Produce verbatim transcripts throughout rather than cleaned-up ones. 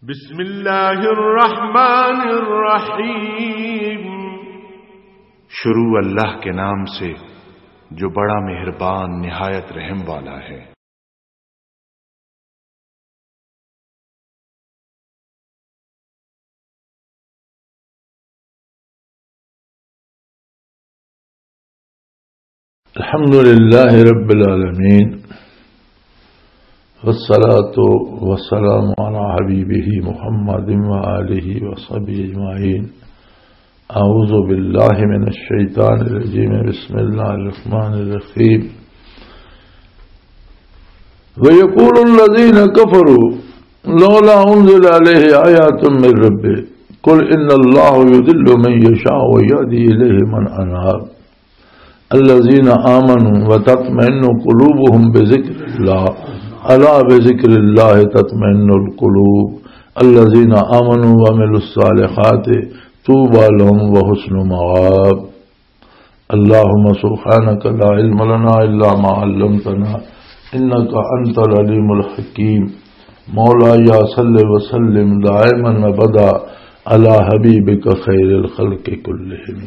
بسم اللہ الرحمن الرحیم۔ شروع اللہ کے نام سے، جو بڑا مہربان، نہایت رحم والا ہے۔ الحمد لله رب العالمين، والصلاة والسلام على حبيبه محمد وآله وصحبه أجمعين. أعوذ بالله من الشيطان الرجيم. بسم الله الرحمن الرحيم. ويقول الذين كفروا لولا أنزل عليه آيات من ربه. قل إن الله يضل من يشاء ويهدي إليه من أناب. الذين آمنوا وتطمئن قلوبهم بذكر الله. ألا بذكر الله تطمئن القلوب. الذين آمنوا وعملوا الصالحات طوبى لهم وحسن مآب. اللهم سبحانك لا علم لنا إلا ما علمتنا إنك أنت العليم الحكيم. مولاي صل وسلم دائما أبدا على حبيبك خير الخلق كلهم.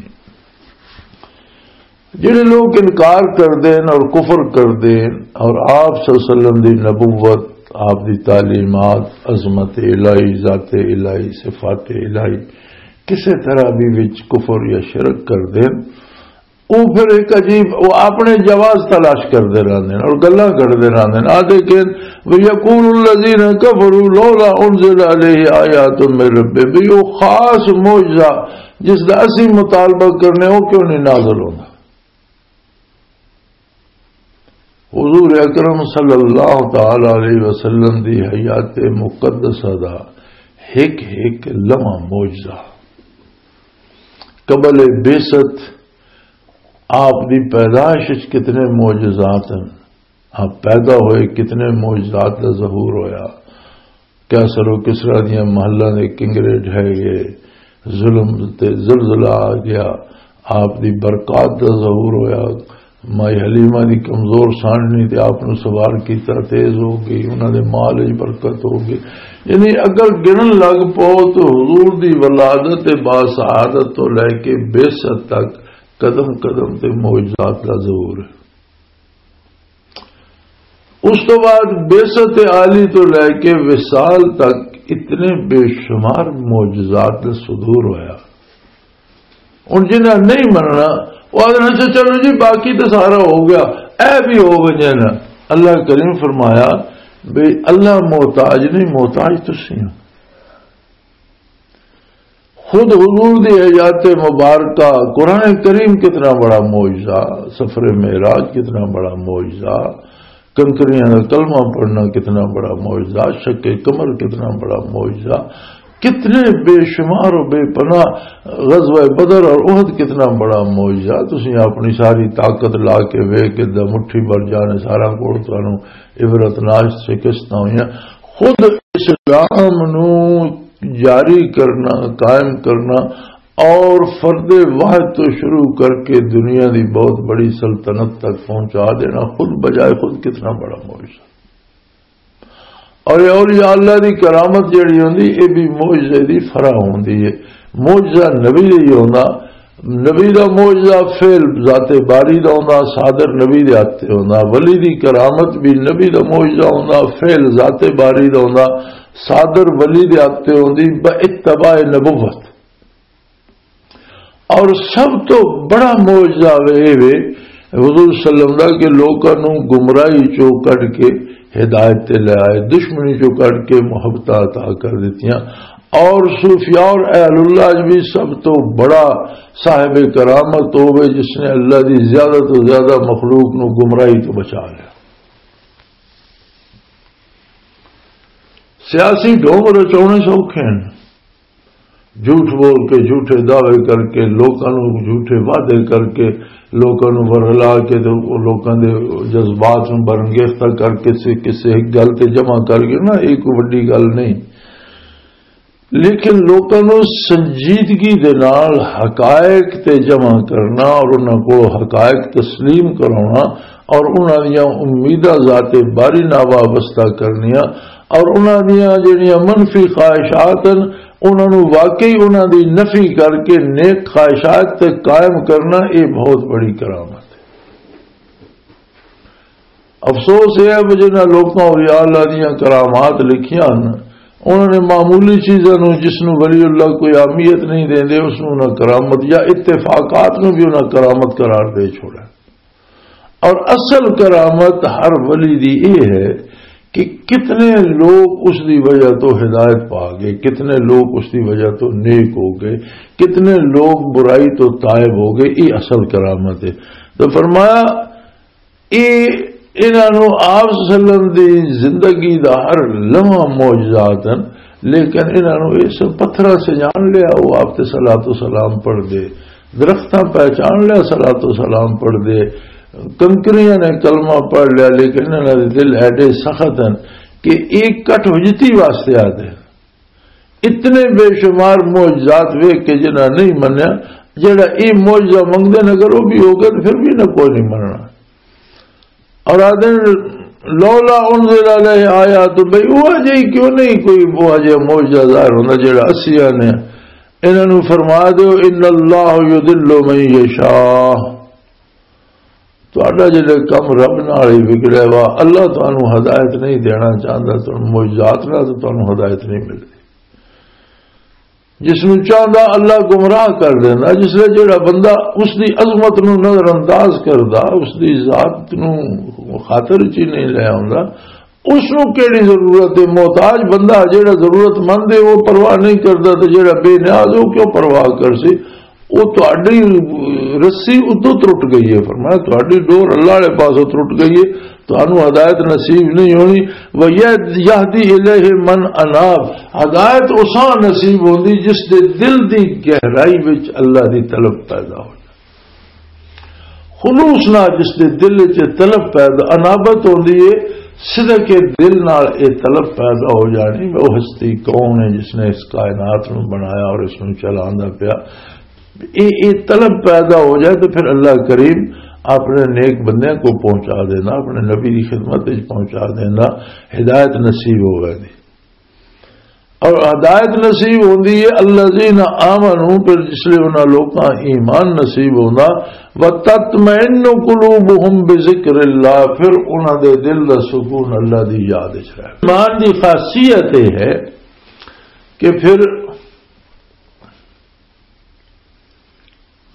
جڑے لوگ انکار کر دین اور کفر کر دین اور آپ صلی اللہ علیہ وسلم دی نبوت، آپ دی تعلیمات، عظمت الہی، ذات الہی، صفات الہی، کسے طرح بھی وچ کفر یا شرک کر دین، وہ پھر ایک عجیب، وہ اپنے جواز تلاش کردے رہندے نے اور گلاں کردے رہندے نے۔ آدھے کہ، "وَيَقُولُ الَّذِينَ كَفَرُوا لَوْلَا أُنْزِلَ عَلَيْهِ آيَاتٌ مِّن رَّبِّهِ"، بھی وہ خاص معجزہ جس دا اسی مطالبہ کرنے، وہ کیوں نہیں نازل ہوندا؟ حضور اکرم صلی اللہ تعالی علیہ وسلم دی حیات مقدسہ دا ایک ایک لمحہ معجزہ۔ قبل بعثت آپ دی پیدائش وچ کتنے معجزات ہیں، آپ پیدا ہوئے کتنے معجزات دا ظہور ہویا۔ قیصر و کسریٰ دیاں محلاں دے کنگرے ڈھہ گئے، ظلم تے زلزلہ آ گیا، آپ دی برکات دا ظہور ہویا۔ مائی حلیمہ دی کمزور سانڈنی تے آپ نو سوار کیتا، تیز ہو گئی، انہاں دے مال وچ برکت ہو گئی۔ یعنی اگر گنن لگ پو تو حضور دی ولادت با سعادت تو لے کے بعثت تک قدم قدم تے معجزات دا ظہور ہے۔ اس تو بعد بعثت عالی تو لے کے وصال تک اتنے بے شمار معجزات دا صدور ہویا۔ ہن جنہاں نہیں مننا، وہ آدھے، "اچھا، چلو جی، باقی تو سارا ہو گیا، اے بھی ہو ونجے نا۔" اللہ کریم فرمایا بھی اللہ محتاج نہیں، محتاج تسی ہو۔ خود حضور دی حیات مبارکہ، قرآن کریم کتنا بڑا معجزہ، سفر معراج کتنا بڑا معجزہ، کنکریاں دا کلمہ پڑھنا کتنا بڑا معجزہ، شق قمر کتنا بڑا معجزہ، کتنے بے شمار و بے پناہ، غزوہ بدر اور احد کتنا بڑا معجزہ۔ تسی اپنی ساری طاقت لا کے ویکھ کے دا مٹھی بھر جانے سارا کول تانوں عبرت ناش شکستاں ہوئیاں۔ خود اسلام نو جاری کرنا، قائم کرنا اور فرد واحد تو شروع کر کے دنیا دی بہت بڑی سلطنت تک پہنچا دینا خود بجائے خود کتنا بڑا معجزہ۔ اور یہ اولیاء اللہ دی کرامت جڑی ہوندی، یہ بھی معجزے دی فرع ہوندی ہے۔ معجزہ نبی دی ہوندا، نبی دا معجزہ فعل ذات باری دا ہوندا، صادر نبی دے ہاتھ تے ہوندا۔ ولی دی کرامت بھی نبی دا معجزہ ہوندا، فعل ذات باری دا ہوندا، صادر ولی دے ہاتھ تے ہوندی، با اتباع نبوت۔ اور سب تو بڑا معجزہ وے، اے وے حضور صلی اللہ علیہ وسلم دا کہ لوکاں نوں گمراہی چوں کڈ کے ہدایت تے لے آئے، دشمنی چوں کڈ کے محبتاں عطا کر دتیاں۔ اور صوفیاء اور اہل اللہ وچ بھی سب تو بڑا صاحب کرامت ہوے جس نے اللہ دی زیادہ تو زیادہ مخلوق نوں گمراہی تو بچا لیا۔ سیاسی ڈھونگ رچاؤنے سوکھے ہیں، جھوٹ بول کے، جھوٹے دعوے کر کے، لوکاں نوں جھوٹے وعدے کر کے، لوکاں نوں ورغلا کے تے لوکاں دے جذبات نوں برانگیختہ کر کے سے کسے ایک گل تے جمع کر کے نا، ایک وڈی گل نہیں۔ لیکن لوکاں نوں سنجیدگی دے نال حقائق تے جمع کرنا اور انہاں کو حقائق تسلیم کرانا اور انہاں دیاں امیداں ذات باری نال وابستہ کرنیاں، اور انہاں دیاں جڑیاں منفی خواہشات ہن، انہاں نوں واقعی انہاں دی نفی کر کے نیک خواہشات تے قائم کرنا، یہ بہت بڑی کرامت ہے۔ افسوس یہ ہے کہ جنہاں لوکاں اولیاء اللہ دیاں کرامات لکھیاں ہن، انہاں نے معمولی چیزاں نوں، جس نوں ولی اللہ کوئی اہمیت نہیں دیندے، اس نوں انہاں کرامت، یا اتفاقات نوں بھی انہاں کرامت قرار دے چھوڑا۔ اور اصل کرامت ہر ولی دی یہ ہے کہ کتنے لوگ اس دی وجہ تو ہدایت پا گئے، کتنے لوگ اس دی وجہ تو نیک ہو گئے، کتنے لوگ برائی تو تائب ہو گئے۔ یہ اصل کرامت ہے۔ تو فرمایا، یہ انہاں نوں آپ صلی اللہ علیہ وسلم دی زندگی دا ہر لمحہ معجزات ہیں، لیکن انہاں نوں یہ سب پتھراں سے جان لیا، وہ آپ تے صلاۃ و سلام پڑھ دے، درختاں پہچان لیا، صلاۃ و سلام پڑھ دے، کنکریاں نے کلمہ پڑھ لیا، لیکن انہاں دے دل ایڈے سخت ہیں کہ ایک کٹ ہجتی واسطے آتے ہیں۔ اتنے بے شمار معجزات ویکھ کے جنہاں نہیں منیا، جڑا یہ معجزہ منگدے نے، اگر وہ بھی ہو گیا تو پھر بھی نہ کوئی نہیں مننا۔ اور آدھے، "لولا انزل علیہ آیات"، بھئی وہ جی کیوں نہیں کوئی وہ جی معجزہ ظاہر ہوندا جڑا اسیاں نے؟ انہاں نوں فرما دیو، "ان اللہ یضل من یشاء"، تہاڈا جڑا کم رب نال ہی وگڑیا وا، اللہ تانوں ہدایت نہیں دینا چاہندا، تانوں معجزات نال تے تانوں ہدایت نہیں ملدی۔ جس نوں چاہندا اللہ گمراہ کر دیندا، جس لے جڑا بندہ اس دی عظمت نوں نظر انداز کردا، اس دی ذات نوں خاطر چ ہی نہیں لے آوندا، اس نوں کیڑی ضرورت ہے؟ محتاج بندہ جڑا ضرورت مند ہے، وہ پرواہ نہیں کردا، تے جڑا بے نیاز ہے، وہ کیوں پرواہ کر سی؟ وہ تہاڈی رسی ادو ترٹ گئی ہے۔ فرمایا، تہاڈی ڈور اللہ والے پاسوں ترٹ گئی ہے، تہانوں ہدایت نصیب نہیں ہونی۔ وَيَهْدِي إِلَيْهِ مَنْ أَنَابَ، ہدایت اساں نصیب ہوندی جس دے دل دی گہرائی وچ اللہ دی طلب پیدا ہو جائے۔ خلوص نال جس دے دل وچ طلب پیدا، انابت ہوندی ہے، صدق دل نال یہ طلب پیدا ہو جانی، وہ ہستی کون ہے جس نے اس کائنات نو بنایا اور اس نو چلاندا پیا۔ یہ یہ طلب پیدا ہو جائے تو پھر اللہ کریم اپنے نیک بندیاں کو پہنچا دینا، اپنے نبی کی خدمت وچ پہنچا دینا، ہدایت نصیب ہوے دی۔ اور ہدایت نصیب ہوندی ہے الذین آمنوا، پھر جس لئے انہاں لوکاں ایمان نصیب ہوندا، وتطمئن قلوبہم بذکر اللہ، پھر انہاں دے دل دا سکون اللہ دی یاد وچ رہے۔ ایمان دی خاصیت یہ ہے کہ پھر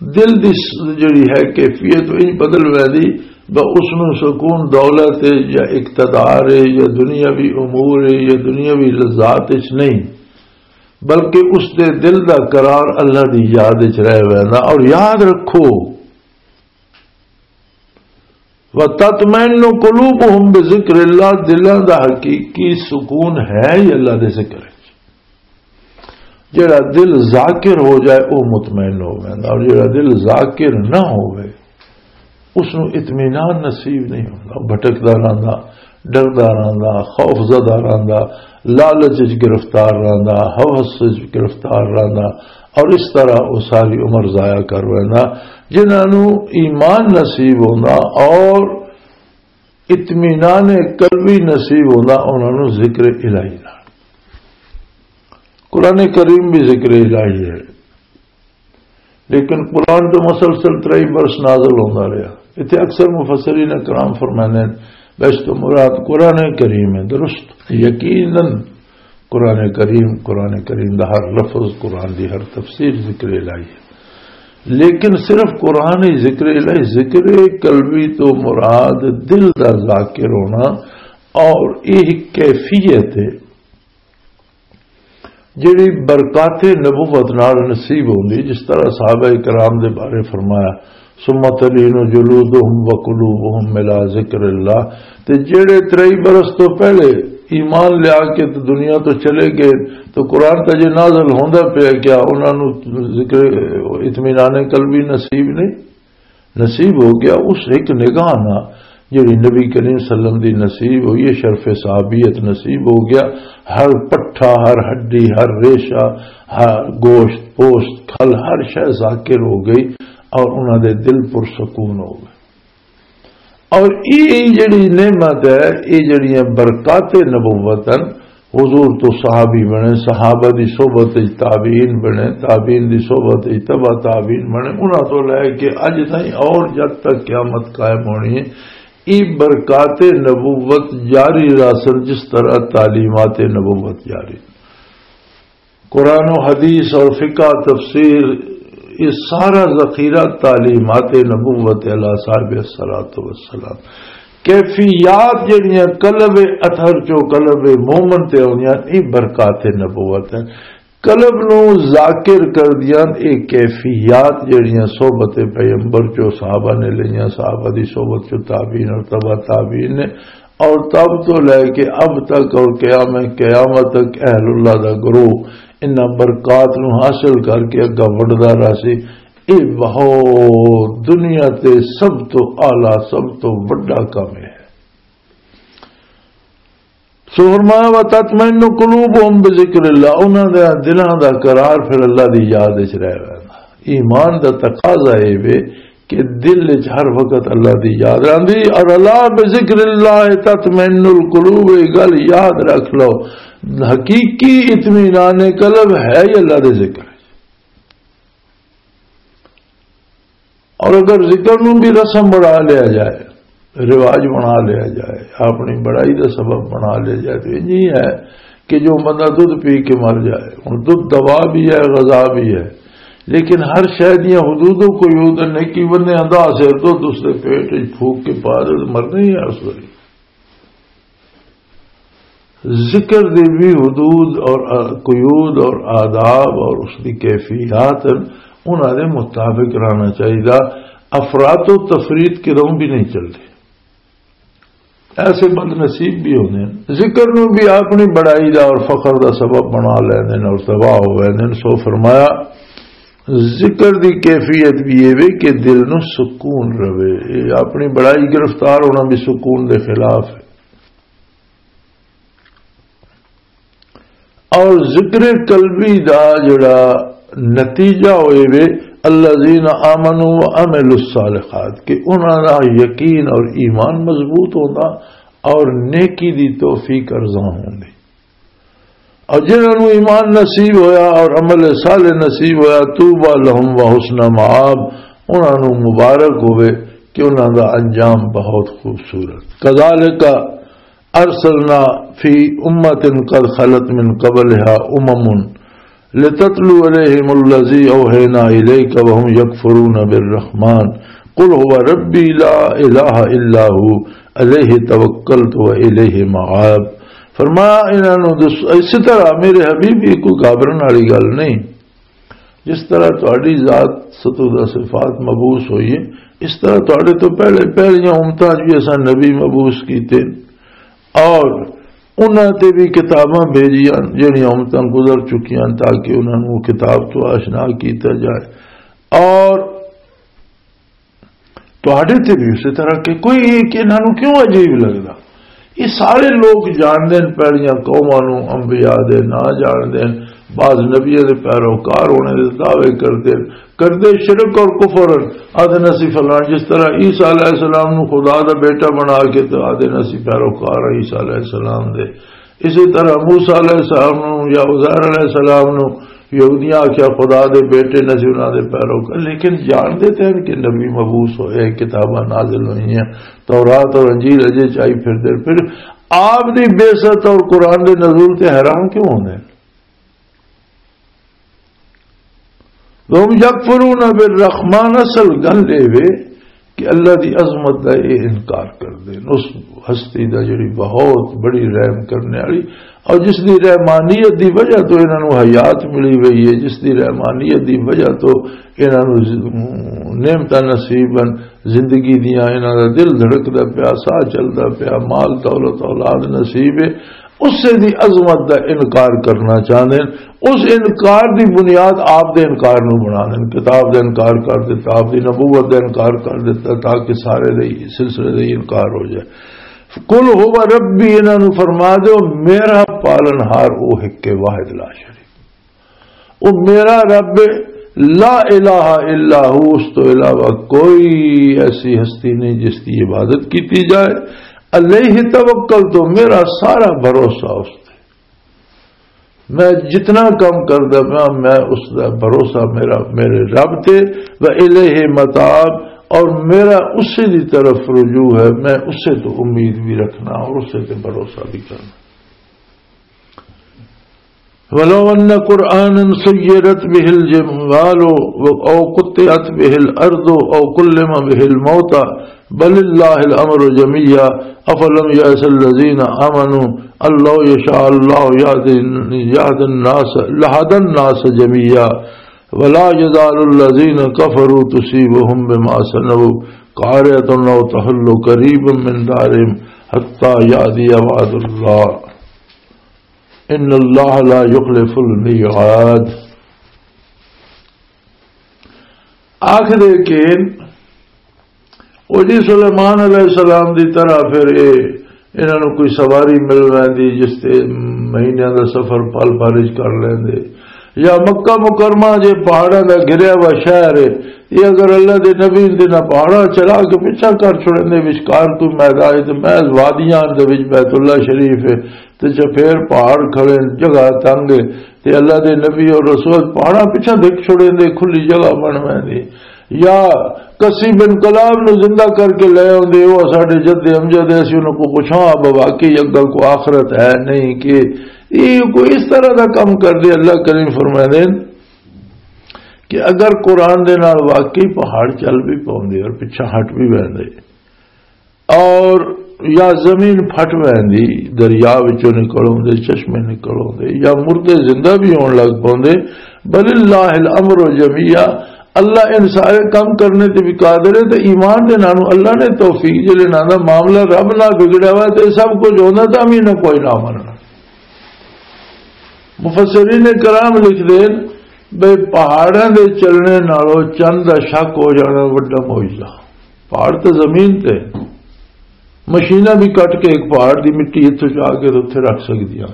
دل دی س-، جڑی ہے کیفیت، وہ انج بدل ویندی، بس اس نوں سکون دولت ہے یا اقتدار ہے یا دنیاوی امور ہے یا دنیاوی لذات وچ نہیں، بلکہ اس دے دل دا قرار اللہ دی یاد وچ رہ ویندا۔ اور یاد رکھو، وَتَطْمَئِنُّ قُلُوبُهُمْ بِذِكْرِ اللَّهِ، دلاں دا حقیقی سکون ہے ہی اللہ دے ذکر وچ۔ جڑا دل ذاکر ہو جائے، وہ مطمئن ہو ویندا، اور جڑا دل ذاکر نہ ہوئے، اس نوں اطمینان نصیب نہیں ہوندا۔ بھٹکدا رہندا، ڈردا رہندا، خوف زدہ رہندا، لالچ وچ گرفتار رہندا، ہوس وچ گرفتار رہندا، اور اس طرح وہ ساری عمر ضائع کر ویندا۔ جنہاں نوں ایمان نصیب ہوندا اور اطمینان قلبی نصیب ہوندا، انہاں نوں ذکر الہی نال۔ قرآن کریم بھی ذکر الہی ہے، لیکن قرآن تو مسلسل ترائی برس نازل ہوندا رہیا۔ اتھے اکثر مفسرین کرام فرماندے ہیں، "بس تو مراد قرآن کریم ہے۔" درست، یقیناً قرآن کریم، قرآن کریم دا ہر لفظ، قرآن دی ہر تفسیر ذکر الہی ہے۔ لیکن صرف قرآن ہی ذکر الہی، ذکر قلبی تو مراد دل دا ذاکر ہونا، اور یہ کیفیت ہے جڑی برکات نبوت نال نصیب ہوندی، جس طرح صحابہ کرام دے بارے فرمایا، "ثم تلین جلودہم وقلوبہم الی ذکر اللہ"، تے جڑے ترئی برس تو پہلے ایمان لیا کے تے دنیا تو چلے گئے، تو قرآن تے جے نازل ہوندا پیا، کیا انہاں نوں ذکر اطمینان قلبی نصیب نہیں؟ نصیب ہو گیا۔ اس ایک نگاہ نہ جڑی نبی کریم صلی اللہ علیہ وسلم دی نصیب ہوئی ہے، شرف صحابیت نصیب ہو گیا۔ ہر پٹھا، ہر ہڈی، ہر ریشہ، ہر گوشت، پوست، کھل، ہر شے ذاکر ہو گئی اور انہاں دے دل پر سکون ہو گئے۔ اور یہ جڑی نعمت ہے، یہ جڑیاں برکات نبوت ہیں، حضور تو صحابی بنے، صحابہ دی صحبت وچ تابعین بنے، تابعین دی صحبت وچ تبع تابعین بنے، انہاں تو لے کے اج تائیں اور جد تک قیامت قائم ہونی ہے، یہ برکات نبوت جاری رہسن، جس طرح تعلیمات نبوت جاری۔ قرآن و حدیث اور فقہ تفسیر، یہ سارا ذخیرہ تعلیمات نبوت علیہ صاحب الصلوۃ والسلام۔ کیفیات جڑیاں قلب اطہر چو قلب مومن تے آؤندیاں، یہ برکات نبوت ہے۔ قلب نو ذاکر کر دیاں، یہ کیفیات جڑیاں صحبت پیغمبر چو صحابہ نے لئیاں، صحابہ دی صحبت چو تابعین اور تبع تابعین نے، اور تب تو لے کے اب تک اور قیام قیامت تک اہل اللہ دا گروہ انہاں برکات نو حاصل کر کے اگا وڈدا رہسی۔ یہ بہت دنیا تے سب تو اعلیٰ، سب تو وڈا کام ہے۔ سو فرمایا، "وتطمئن قلوبهم بذکر اللہ"، انہاں دے دلاں دا قرار پھر اللہ دی یاد وچ رہ ویندا۔ ایمان دا تقاضا اے وے کہ دل وچ ہر وقت اللہ دی یاد رہندی، اور "الا بذکر اللہ تطمئن القلوب"، یہ گل یاد رکھ لو، حقیقی اطمینان قلب ہے ہی اللہ دے ذکر۔ اور اگر ذکر نو بھی رسم بنا لیا جائے، رواج بنا لیا جائے، اپنی بڑائی دا سبب بنا لیا جائے، تو یہ نہیں ہے کہ جو بندہ دودھ پی کے مر جائے۔ ہن دودھ دوا بھی ہے، غذا بھی ہے، لیکن ہر شے دیاں حدود و قیود نے۔ کی بندے آندا سر دودھ اس دے پیٹ وچ پھوک کے پا دے، مرنا ہی ہے اس ویلے۔ ذکر دے بھی حدود اور قیود اور آداب اور اس دی کیفیات، انہاں دے مطابق رہنا چاہیدا۔ افراط و تفریط کدوں بھی نہیں چلدی۔ ایسے بد نصیب بھی ہوندے ہیں، ذکر نو بھی اپنی بڑائی دا اور فخر دا سبب بنا لیندے ہیں اور تباہ ہو ویندے ہیں۔ سو فرمایا، ذکر دی کیفیت بھی یہ وے کہ دل نو سکون رہے۔ یہ اپنی بڑائی گرفتار ہونا بھی سکون دے خلاف ہے۔ اور ذکر قلبی دا جڑا نتیجہ ہوئے وے، الذین آمنوا وعملوا الصالحات، کہ انہاں دا یقین اور ایمان مضبوط ہوندا اور نیکی دی توفیق ارزاں ہوندی۔ اور جنہاں نوں ایمان نصیب ہویا اور عمل صالح نصیب ہویا، طوبی لہم و حسن مآب، انہاں نوں مبارک ہوئے کہ انہاں دا انجام بہت خوبصورت۔ کذالک ارسلنا فی امۃ قد خلت من قبلها امم لتتلو علیہم الذی اوحینا الیک وهم یکفرون بالرحمن قل هو ربی لا الہ الا هو علیہ توکلت و الیہ مآب۔ فرمایا، انہاں نوں دس-، اسی طرح میرے حبیب، یہ کوئی گھبرن والی گل نہیں۔ جس طرح تہاڈی ذات ستودہ صفات مبعوث ہوئی ہے، اس طرح تہاڈے تو پہلے پہلیاں امتاں 'چ بھی اساں نبی مبعوث کیتے اور انہاں تے بھی کتاباں بھیجیاں، جہڑیاں امتاں گزر چکیاں، تاکہ انہاں نوں کتاب تو آشنا کیتا جائے۔ اور تہاڈے تے بھی اسی طرح کہ کوئی یہ کہ انہاں نوں کیوں عجیب لگدا؟ یہ سارے لوگ جاندے ہیں، پہلیاں قوماں نوں انبیاء دے نہ جاندے ہیں، بعض نبیاں دے پیروکار ہونے دے دعوے کردے ہیں، کردے شرک اور کفر۔ آدھے اسی فلاں، جس طرح عیسیٰ علیہ السلام نوں خدا دا بیٹا بنا کے تو آدھے اسی پیروکار ہیں عیسیٰ علیہ السلام دے، اسی طرح موسیٰ علیہ السلام نوں یا عزیر علیہ السلام نوں یہودیاں آکھیا خدا دے بیٹے نہ سی انہاں دے پیروکار، لیکن جانتے تھے کہ نبی مبعوث ہوئے، کتاباں نازل ہوئی ہیں، تورات اور انجیل اجے چائی پھر دے۔ پھر آپ دی بعثت اور قرآن دے نزول تے حیران کیوں ہوندے ہیں؟ وَهُمْ يَكْفُرُونَ بِالرَّحْمَٰنِ، اصل گل اے وے کہ اللہ دی عظمت دا اے انکار کر دین، اس ہستی دا جڑی بہت بڑی رحم کرنے والی، اور جس دی رحمانیت دی وجہ تو انہاں نوں حیات ملی ہوئی ہے، جس دی رحمانیت دی وجہ تو انہاں نوں ز-، نعمتاں نصیب ہیں، زندگی دیاں، انہاں دا دل دھڑکدا پیا، ساہ چلدا پیا، مال دولت اولاد نصیب ہے، اسے دی عظمت دا انکار کرنا چاہندے ہیں۔ اس انکار دی بنیاد آپ دے انکار نو بنا دین، کتاب دا انکار کر دیتا، آپ دی نبوت دا انکار کر دیتا، تاکہ سارے دے سلسلے دا انکار ہو جائے۔ قل هو ربی، انہاں نو فرما دیو، میرا پالن ہار او ہک واحد لا شریک۔ او میرا رب ہے، لا الہ الا ہو، اس تو علاوہ کوئی ایسی ہستی نہیں جس کی عبادت کی جائے۔ علیہ توکل، تو میرا سارا بھروسہ اس تے۔ میں جتنا کام کردا پیا، میں اس دا بھروسہ میرا میرے رب تے، و الیہ متاب، اور میرا اسی دی طرف رجوع ہے، میں اسے تو امید بھی رکھنا اور اسے تے بھروسہ بھی کرنا۔ ولو ان قرآنا سیرت به الجبال او قطعت به الارض او کلم به الموتى بل الله الامر جميعا افلم يأس الذين آمنوا ان لو يشاء الله يهدي يهدي الناس لهدى الناس جميعا ولا يزال الذين كفروا تصيبهم بما صنعوا قارعة او تحل قريبا من دارهم حتى يأتي وعد الله ان اللہ لا یخلف المیعاد۔ آخر کہ وہ جی سلیمان علیہ السلام دی طرح پھر اے انہاں نوں کوئی سواری مل ویندی جس تے مہینیاں دا سفر پل پارج کر لیندے، یا مکہ مکرمہ جے پہاڑاں دا گھریا ہوا شہر ہے، یہ اگر اللہ دے نبی دے نہ پہاڑاں چلا کے پچھا کر چھوڑے دے وچکار کوئی میدان ہے تے محض وادیاں دے وچ بیت اللہ شریف ہے، تے چفیر پہاڑ کھڑے، جگہ تنگ ہے، تے اللہ دے نبی اور رسول پہاڑاں پچھاں دھک چھوڑے دے، کھلی جگہ بن ویندی۔ یا کسی بن کلاب نو زندہ کر کے لے آندے، او ساڈے جد امجد ہے، اسی انہاں کو پوچھاں، اب واقعی اگل کو آخرت ہے نہیں کہ یہ کوئی اس طرح دا کم کر دے۔ اللہ کریم فرمائے دے کہ اگر قرآن دے نال واقعی پہاڑ چل بھی پاؤندے اور پچھاں ہٹ بھی ویندے، اور یا زمین پھٹ ویندی، دریا وچوں نکل آوندے، چشمے نکل آوندے، یا مردے زندہ بھی ہون لگ پوندے، بل اللہ الامر جميعا، اللہ ان سارے کام کرنے تے بھی قادر ہے۔ تے ایمان دے نال اللہ نے توفیق جلے نال دا معاملہ رب نال بگڑیا ہوا تے سب کچھ ہوندا تاں بھی نہ کوئی نہ مننا۔ مفسرین کرام لکھ دے بھئی پہاڑاں دے چلنے نالوں چند دا شک ہو جانا وڈا معجزہ۔ پہاڑ تے زمین تے مشیناں بھی کٹ کے ایک پہاڑ دی مٹی اتھوں چا کے تے اتھے رکھ سکدیاں۔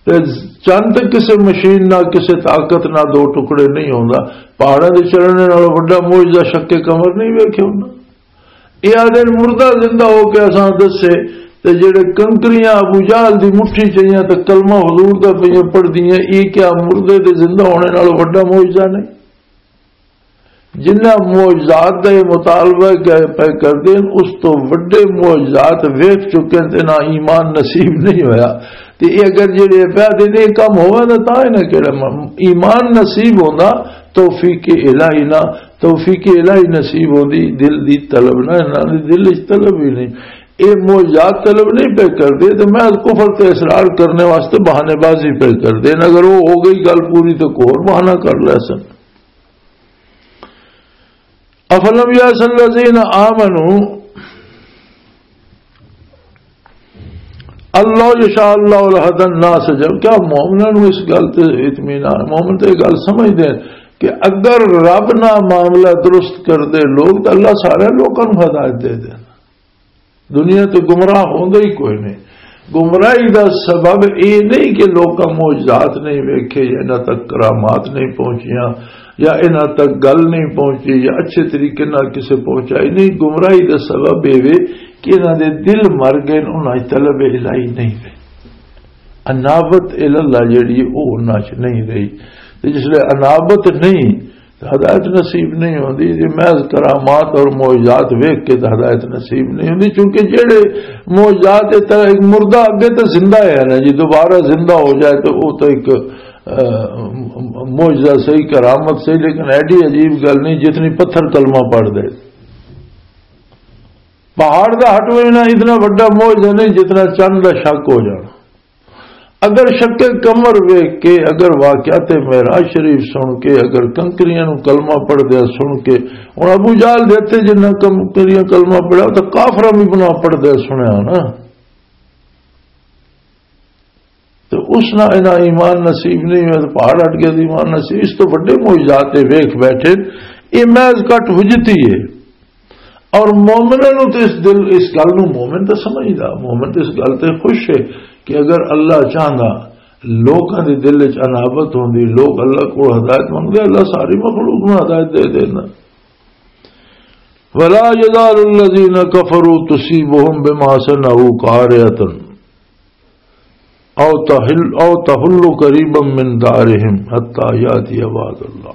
تے چند کسے مشین نہ، کسے طاقت نہ دو ٹکڑے نہیں ہوندا۔ پہاڑاں دے چلنے نالوں وڈا معجزہ شک قمر نہیں ویکھیا ہوندا۔ یہ آدھے مردہ زندہ ہو کے اساں دسے، تے جڑے کنکریاں ابو جہل دی مٹھی چاہیاں تے کلمہ حضور دا پہ پڑھ دیاں، یہ کیا مردے دے زندہ ہونے نالوں وڈا معجزہ نہیں؟ جنہ معجزات دا یہ مطالبہ کہ پہ کردے ہیں، اس تو وڈے معجزات ویکھ چکے ہیں تے نہ ایمان نصیب نہیں ہویا۔ تے یہ اگر جڑے پہ دے نے کم ہوا نہ تاں نہ کہڑا م-، ایمان نصیب ہوندا، توفیق الہی نہ، توفیق الہی نصیب ہوندی، دل دی طلب نہ، انہاں دے دل وچ طلب ہی نہیں۔ اے معجزات طلب نہیں پہ کردے، تے میں کفر تے اصرار کرنے واسطے بہانے بازی پہ کردے۔ اگر وہ ہو گئی گل پوری تو کوئی اور بہانہ کر لے سن۔ افلم یأس الذین آمنوا ان لو یشاء اللہ لہدی الناس جميعا، کیا مومناں نوں اس گل تے اطمینان، مومن تے یہ گل سمجھ دے کہ اگر رب نہ معاملہ درست کر دے لوگ تو اللہ سارے لوگوں نوں ہدایت دے دے۔ دنیا تے گمراہ ہوندا ہی کوئی نہیں۔ گمراہی دا سبب اے نہیں کہ لوکاں معجزات نہیں ویکھے یا انہاں تک کرامات نہیں پہنچیاں یا انہاں تک گل نہیں پہنچی یا اچھے طریقے نال کسے پہنچائی نہیں۔ گمراہی دا سبب اے وے کہ انہاں دے دل مر گئے، انہاں وچ طلب الہی نہیں وے۔ انابت الاللہ جڑی ہے، او انہاں چ نہیں رہی۔ تے جس لے انابت نہیں، تے ہدایت نصیب نہیں ہوندی۔ جی محض کرامات اور معجزات ویکھ کے تے ہدایت نصیب نہیں ہوندی، چونکہ جڑے معجزات اس طرح ایک مردہ اگے تے زندہ ہے نا جی، دوبارہ زندہ ہو جائے تو وہ تو ایک، آ، معجزہ صحیح، کرامت صحیح، لیکن ایڈی عجیب گل نہیں جتنی پتھر کلمہ پڑھ دے۔ پہاڑ دا ہٹ وینا اتنا بڑا معجزہ نہیں جتنا چند دا شک ہو جانا۔ اگر شک قمر ویکھ کے، اگر واقعات معراج شریف سن کے، اگر کنکریاں نو کلمہ پڑھدے سن کے، ہن ابو جہل دے تے جنہاں کنکریاں کلمہ پڑھیا، تے کافراں بھی بنا پڑھدے سنیا نا۔ تے اس نہ انہاں ایمان نصیب نہیں ہویا، تے پہاڑ ہٹ گیا تے ایمان نصیب۔ اس تو بڑے معجزات اے ویکھ بیٹھے، اے محض کٹ حجتی ہے۔ اور مومناں نوں تے اس دل، اس گل نوں مومن تے سمجھدا، مومن تے اس گل تے خوش ہے کہ اگر اللہ چاہندا لوکاں دے دل وچ انابت ہوندی، لوگ اللہ کول ہدایت منگدے، اللہ ساری مخلوق نوں ہدایت دے دینا۔ ولا يزال الذين كفروا تصيبهم بما صنعوا قارعة أو تحل، أو تحل قريبا من دارهم حتى يأتي وعد الله۔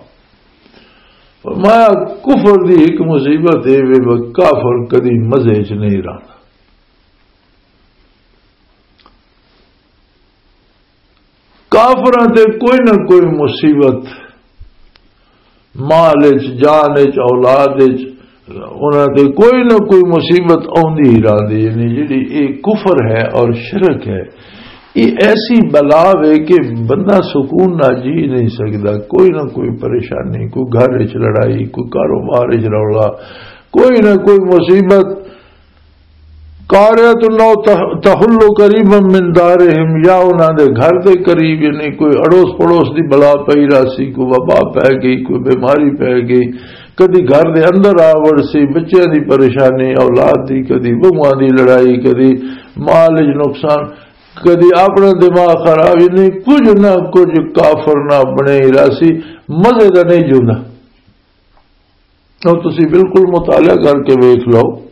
فرمایا، کفر دی ایک مصیبت اے وے، وہ کافر کدی مزے چ نہیں رہندا۔ کافراں تے کوئی نہ کوئی مصیبت، مال وچ، جان وچ، اولاد وچ، انہاں تے کوئی نہ کوئی مصیبت آوندی ہی رہندی ہے۔ یعنی جڑی اے کفر ہے اور شرک ہے، یہ ایسی بلا وے کہ بندہ سکون نہ جی نہیں سکدا۔ کوئی نہ کوئی پریشانی، کوئی گھر وچ لڑائی، کوئی کاروبار وچ رولا، کوئی نہ کوئی مصیبت۔ قارعۃ أو تح-، تحل قریبا من دارہم، یا انہاں دے گھر دے قریب، یعنی کوئی اڑوس پڑوس دی بلا پئی راسی، کوئی وبا پے گئی، کوئی بیماری پے گئی، کدی گھر دے اندر آ وڑسی، بچیاں دی پریشانی، اولاد دی، کدی بہواں دی لڑائی، کدی مال وچ نقصان، کدی اپنا دماغ خراب، یعنی کچھ نہ کچھ کافر نہ بنے ہی راسی، مزے دا نہیں جوندا۔ تو تسی بالکل مطالعہ کر کے ویکھ لو۔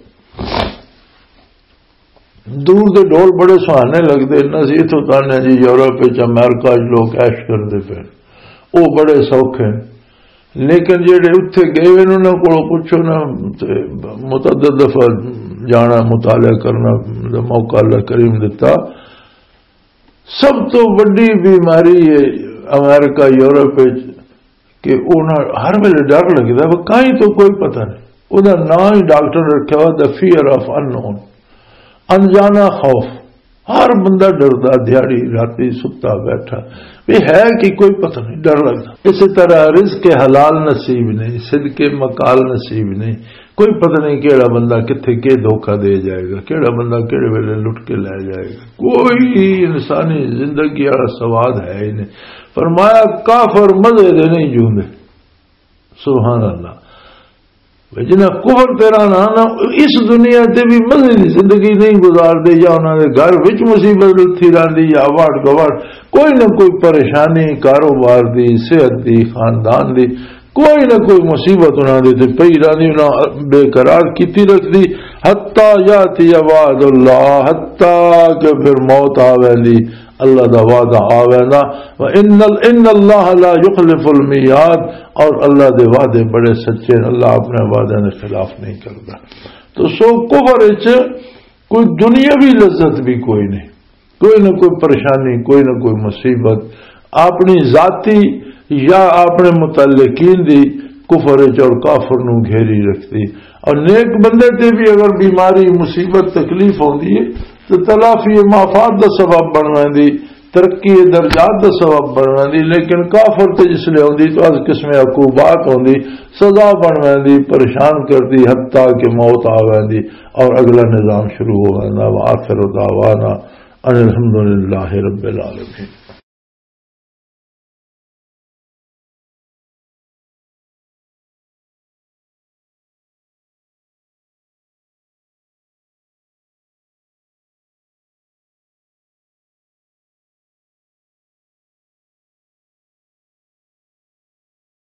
دور دے ڈول بڑے سہانے لگدے نے، اسی اتھوں تانے جی یورپ وچ، امریکہ وچ لوگ عیش کردے پے، او بڑے سوکھے۔ لیکن جڑے اتھے گئے ہوئے نے، انہاں کولوں پوچھو نا، تے متعدد دفعہ جانا، مطالعہ کرنا دا موقع اللہ کریم دتا۔ سب تو وڈی بیماری ہے امریکہ، یورپ وچ، کہ انہاں ہر ویلے ڈر لگدا، وہ کہیں تو کوئی پتہ نہیں۔ او دا نام ہی ڈاکٹر رکھیا ہوا، the fear of unknown، انجانا خوف۔ ہر بندہ ڈردا، دیہاڑی راتی ستا بیٹھا، بھی ہے کہ کوئی پتہ نہیں، ڈر لگدا۔ اسی طرح رزق حلال نصیب نہیں، صدق مقال نصیب نہیں، کوئی پتہ نہیں کیڑا بندہ کتھے کے دھوکا دے جائے گا، کیڑا بندہ کیڑے ویلے لٹ کے لے جائے گا۔ کوئی انسانی زندگی والا سواد ہے ہی نہیں۔ فرمایا، کافر مزے دے نہیں جوندے۔ سبحان اللہ۔ جنہاں کفر تیرا نا نا، اس دنیا تے بھی مزے دی زندگی نہیں گزار دے، یا انہاں دے گھر وچ مصیبت لتھی رہندی، یا واٹ گواٹ، کوئی نہ کوئی پریشانی، کاروبار دی، صحت دی، خاندان دی، کوئی نہ کوئی مصیبت انہاں دے تے پئی رہندی، انہاں بے قرار کیتی رکھدی، حتی یاتی وعد اللہ، حتی کہ پھر موت آ ویندی، اللہ دا وعدہ آ ویندا۔ وَإِنَّ ال-، إِنَّ اللَّهَ لَا يُخْلِفُ الْمِيعَادَ، اور اللہ دے وعدے بڑے سچے ہیں، اللہ اپنے وعدے دے خلاف نہیں کردا۔ تو سو کفر وچ کوئی دنیاوی لذت بھی کوئی نہیں، کوئی نہ کوئی پریشانی، کوئی نہ کوئی مصیبت، اپنی ذاتی یا اپنے متعلقین دی کفر وچ اور کافر نو گھیری رکھدی۔ اور نیک بندے تے بھی اگر بیماری، مصیبت، تکلیف ہوندی ہے تو تلافی مافات دا سبب بن ویندی، ترقی درجات دا سبب بن ویندی، لیکن کافر تے جس لے ہوندی تو از قسم عقوبات ہوندی، سزا بن ویندی، پریشان کردی، حتیٰ کہ موت آ ویندی اور اگلا نظام شروع ہو ویندا۔ وآخر دعوانا ان الحمدللہ رب العالمین۔